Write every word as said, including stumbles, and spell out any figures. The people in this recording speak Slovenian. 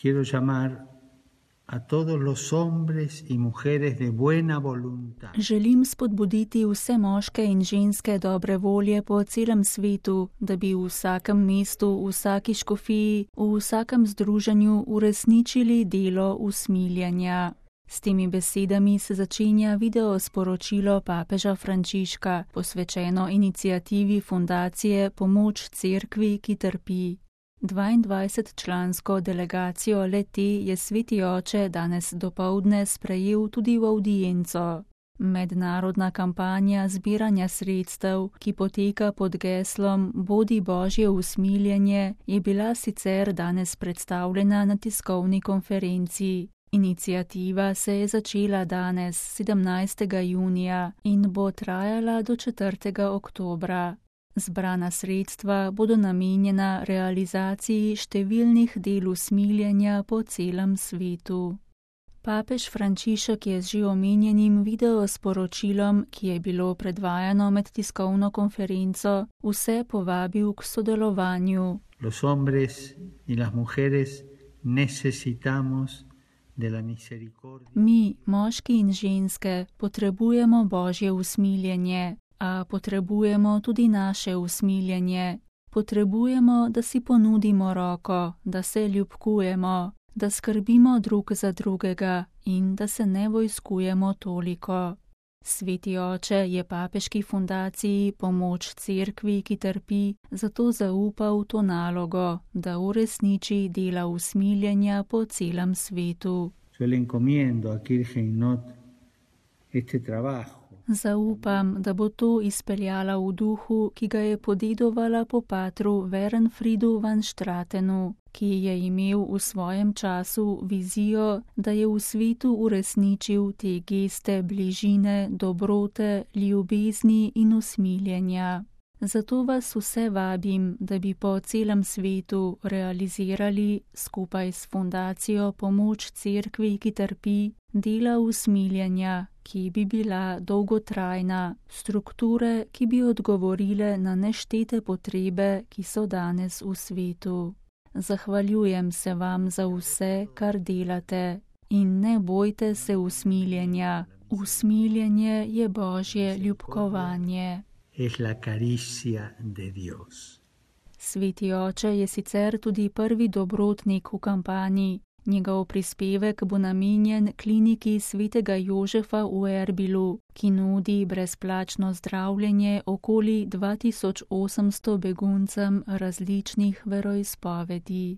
Quiero llamar a todos los hombres y mujeres de buena voluntad. Želim spodbuditi vse moške in ženske dobre volje po celem svetu, da bi v vsakem mestu, v vsaki škofiji, v vsakem združenju uresničili delo usmiljanja. S temi besedami se začenja video sporočilo papeža Frančiška, posvečeno inicijativi fundacije Pomoč cerkvi, ki trpi. dvaindvajsetčlansko delegacijo le-te je Sveti oče danes dopoldne sprejel tudi v avdienco. Mednarodna kampanja zbiranja sredstev, ki poteka pod geslom Bodi Božje usmiljenje, je bila sicer danes predstavljena na tiskovni konferenci. Iniciativa se je začela danes, sedemnajstega junija, in bo trajala do četrtega oktobra. Zbrana sredstva bodo namenjena realizaciji številnih del usmiljenja po celem svetu. Papež Frančišek je z že omenjenim video sporočilom, ki je bilo predvajano med tiskovno konferenco, vse povabil k sodelovanju. Los hombres y las mujeres necesitamos de la misericordia. Mi, moški in ženske, potrebujemo Božje usmiljenje. A potrebujemo tudi naše usmiljenje. Potrebujemo, da si ponudimo roko, da se ljubkujemo, da skrbimo drug za drugega in da se ne vojskujemo toliko. Sveti oče je papeški fundaciji Pomoč cerkvi, ki trpi, zato zaupal to nalogo, da uresniči dela usmiljenja po celem svetu. Yo le encomiendo a Kirche in Not este trabajo. Zaupam, da bo to izpeljala v duhu, ki ga je podedovala po patru Werenfriedu van Stratenu, ki je imel v svojem času vizijo, da je v svetu uresničil te geste bližine, dobrote, ljubezni in usmiljenja. Zato vas vse vabim, da bi po celem svetu realizirali skupaj s fundacijo Pomoč cerkvi, ki trpi, dela usmiljenja, ki bi bila dolgotrajna, strukture, ki bi odgovorile na neštete potrebe, ki so danes v svetu. Zahvaljujem se vam za vse, kar delate, in ne bojte se usmiljenja. Usmiljenje je Božje ljubkovanje. Es la caricia de Dios. Sveti oče je sicer tudi prvi dobrotnik v kampanji. Njegov prispevek bo namenjen kliniki svetega Jožefa v Erbilu, ki nudi brezplačno zdravljenje okoli dva tisoč osemsto beguncem različnih veroizpovedi.